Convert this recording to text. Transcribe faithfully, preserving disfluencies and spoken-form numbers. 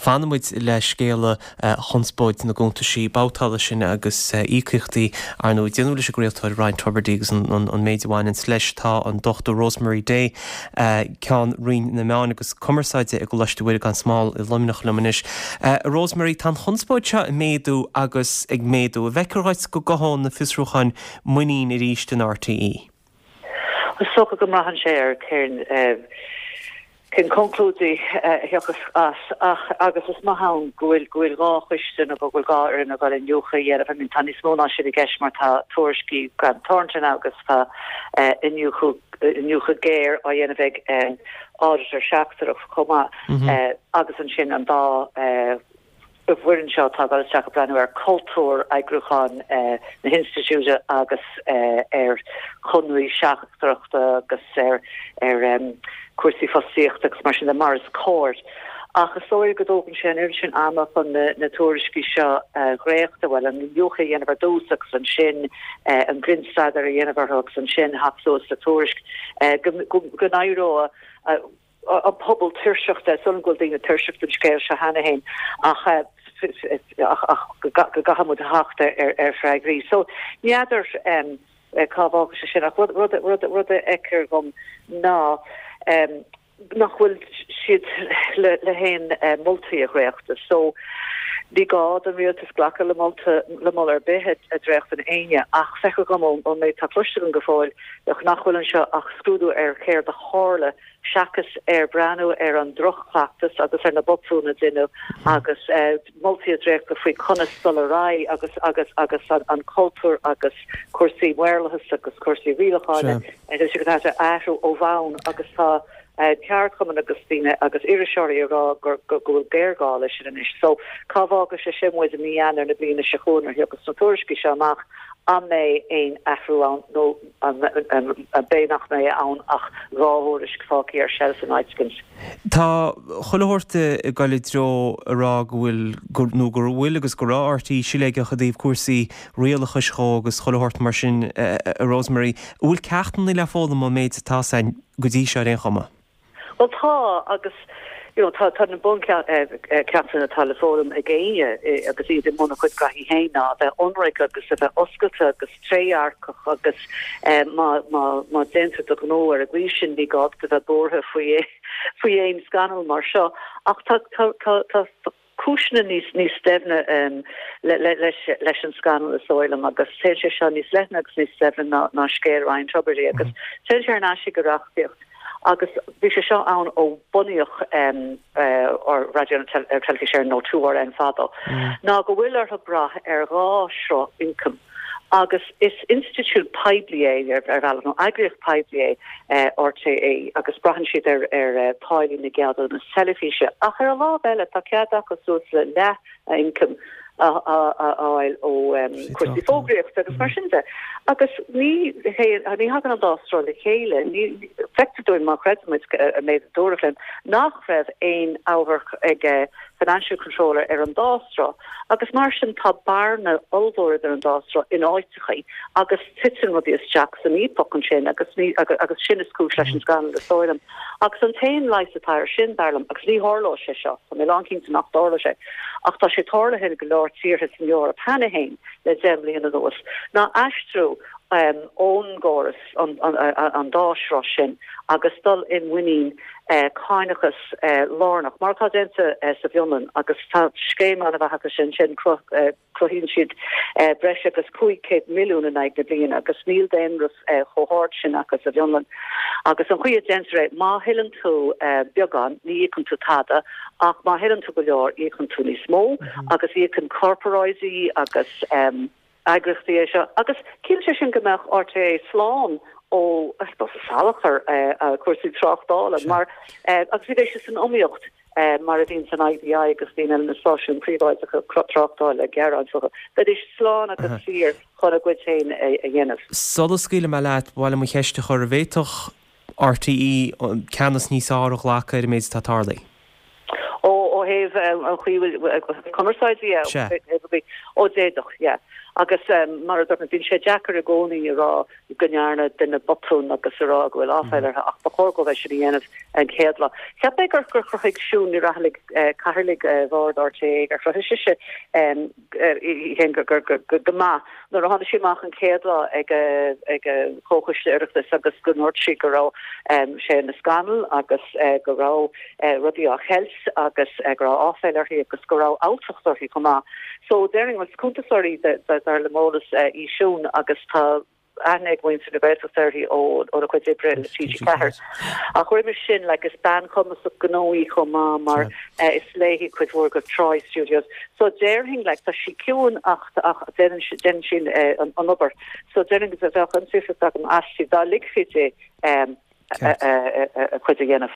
Fanfaidh muid le scéala chonspóid na gcuntaisí babhtála sin agus íocaíochtaí arna déanamh leis an gcraoltóir Ryan Tubridy agus an méid a bhaineanns leis. Tá an Dochtúir Rosemary Day, Ceann Roinn na Meán agus Cumarsáide i gColáiste Mhuire gan Smál i Luimneach liom anois. Rosemary, tá an chonspóid seo ag méadú agus ag méadú. An bhfeictear dhuit go gcothóidh na fiosrúcháin muinín arís in R T E? Is dócha go mbraitheann sé ar cén cén conclúidí a thiocfas as, ach agus is maith ann go bhfuil go bhfuil dhá choiste nó go bhfuil dhá fhoireann ag dul iniúchadh a dhéanamh. I mean, tá níos mó ná sin i gceist mar tá tuairiscí Grant Thornton agus tá iniúchadh iniúchadh géar á dhéanamh ag auditor seachtrach chomh maith, agus ansin an dá bhfoireann seo atá ag isteach ag breathnú ar cultúr eagrúcháin na hinstitiúide agus ar chonarthaí seachtracha agus ar ar cúrsaí fostaíochta agus mar sin de mar is cóir. Ach is dóigh go dtógann sé an oiread sin ama chun na, na tuairiscí seo dréachtadh, bhuel, an iniúchadh a dhéanamh ar dtús agus ansin an grinnstaidéar a dhéanamh orthu agus ansin theacht suas le tuairisc go go n-éireoidh an pobal tuirseach de, sula bhfuil daoine tuirseach den scéal seo cheana féin, ach ach go gcaithfidh muid theacht ar ar freagraí. So n'fheadar um, cá bhfágfaidh sé sin, ach rud rud rud rud a fheictear dom ná um, nach bhfuil siad le le haon uh, moltaí a dhréachtadh. So ní gá don rialtas glacadh le molta le moladh ar bith a dhréachtann éinne, ach feictear dom ón méid atá cloiste go fóill nach bhfuil anseo ach scrúdú ar céard a tharla seachas ar breathnú ar an drochchleachtas agus ar na botúin a rinneadh agus uh, moltaí a dhréachtadh faoi conas dul ar aghaidh agus agus agus an, an cultúr agus cúrsaí maorlathas agus cúrsaí rialacháin a athrú ó bhonn. Agus tá uh, ceardchumann agus daoine agus iriseoirí ag rá gur go bhfuil géarghá leis sin anois. So cá bhfágfaidh sé sin muid i mí Eanáir na bliana seo chugainn agus na tuairiscí seo amach, an mbeidh aon athrú ann nó an mbeidh nach mbeidh ann ach dhá thuairisc fágtha ar shelf in áit éigin. Tá chuile shórt ag dul i dtreo a rá go bhfuil nó go bhfuil agus go raibh R T E siléigeach i dtaobh cúrsaí rialachais dhó agus chuile shórt mar sin, a Rosemary. Bhfuil ceachtanna le foghlaim ón méid atá ann go dtí seo ar aon chuma? Well, tá, agus you know, tá tá na buncheachtanna atá le foghlaim ag éinne agus iad i mbun a gcuid gnaithí féin ná bheith ionraic agus a bheith oscailte agus trédhearcach, agus eh, má má má déantar do ghnó ar an gcaoi sin, ní gá a bheith buartha faoi faoi aon scannal mar seo. Ach tá tá tá tá cúiseanna níos níos doimhne um, le, le, leis, leis an scannal, is dóigh liom, agus téann sé seo níos leithne agus níos doimhne ná, ná scéal Ryan Tubridy, agus mm. téann sé ar ais go reachtaíocht, agus bhí sé seo ann ó bunaíodh um, uh, Raidió Teilifís Éireann nó two R N fadó mm. ná go bhfuil orthu brath ar dhá shruth ioncaim, agus is institiúid poiblí é ar ar bhealach, nó eagraíocht poiblí é uh, R T É, agus braitheann siad ar ar uh, táillí na gceadúnas teilifíse, ach ar an lámh eile tá cead acu suas le leath ioncaim a fháil ó cúrsaí fógraíochta agus mar sin de. Agus ní ní thagann an dá sruth le chéile. Ní feictear dúinn, má chreidimid an méid a dúradh linn, nach raibh aon amharc ag financial controller ar an dá shruth, agus mar sin tá bearna ollmhór ar an dá sruth in áiteachaí agus titeann rudaí isteach san fhaopach ansin, agus ní agus, agus sin is cúis leis an scannal, is dóigh liom. Agus an t-aon leigheas atá air sin, dar liom, agus ní tharlóidh sé seo, tá mé lánchinnte nach dtarlóidh sé, ach tá sé tarlaithe go leor tíortha san Eoraip cheana féin le deich mbliana anuas, ná aistriú um, ón gcóras an, an, an, an dá shruth sin agus dul i muinín uh, cánachas uh, lárnach mar atá déanta uh, sa bhFionlainn, agus tá scéim an-mhaith acu sin sin uh, cruthaíonn siad uh, breis agus cúig chéad milliún in aghaidh na bliana, agus níl daonra uh, chomh hard sin acu sa bhFionlainn. Agus an chaoi a ndéantar é, má thuilleann tú uh, beagán, ní íocann tú tada, ach má thuilleann tú go leor, íocann tú níos mó mm -hmm. agus íocann corparáidí agus um, eagraíochtaí é seo, agus ciallaíonn sé sin go mbeadh R T É slán ó salachar uh, cúrsaí tráchtála mar uh, agus bhí sé san iomaíocht uh, mar a bhíonn san I B I agus bhíonn na stáisiúin príobháideacha tráchtála gearán fúthu. Bheidís slán agus saor chun a gcuid féin a dhéanamh. Sula scaoilim leat, bhfuil mo cheist chur a bhféadfadh R T E ceannas níos fearr a ghlacadh ar an méid atá tarlaithe. Ó ó thaobh an chaoi cumarsáid ó d'fhéadfadh, yeah. Agus mar a dúirt mé, bíonn sé deacair i gcónaí a rá go ndearna duine botún agus a rá go bhfuil áiféil orthu ach ba chóir dóibh é sin a dhéanamh an chéad lá. Cheap mé gur gur chruthaigh Siún Ní Raghallaigh cathaoirleach bhord RTÉ gur chruthaigh sise í féin go go maith nuair a tháinig sí amach an chéad lá ag ag Comhchoiste Oireachtais agus go ndúirt sí go raibh sé ina scannal agus go raibh rudaí á cheilt agus go raibh áiféil uirthi agus go raibh alltacht uirthi chomh maith. So déarfainn is cuntasóir í dar le m'eolas í Siún agus tá aithne ag muintir na Gaeltachta uirthi ó óna cuid oibre le TG Ceathair. Ach roimhe sin like, is bean chumasach gnó í chomh maith mar uh, is léi cuid mhór de Troy Studios. So déarfainn like, tá sí ciúin ach ach déanann sí uh, an, an obair. So déarfainn go bheadh an saoirseacht agam aisti dá ligfí di um, a, a, a, a cuid a dhéanamh.